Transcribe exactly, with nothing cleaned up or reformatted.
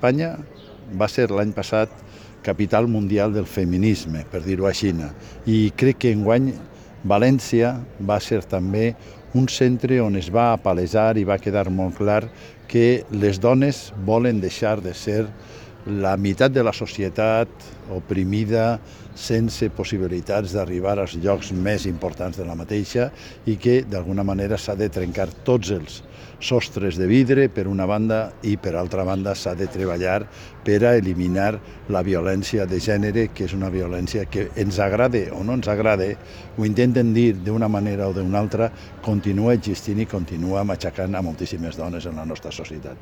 Espanya va ser l'any passat capital mundial del feminisme, per dir-ho així, i crec que enguany València va ser també un centre on es va palesar i va quedar molt clar que les dones volen deixar de ser la meitat de la societat oprimida, sense possibilitats d'arribar als llocs més importants de la mateixa i que d'alguna manera s'ha de trencar tots els sostres de vidre per una banda i per altra banda s'ha de treballar per a eliminar la violència de gènere, que és una violència que ens agrade o no ens agrade, ho intenten dir d'una manera o d'una altra, continua existint i continua matxacant a moltíssimes dones en la nostra societat.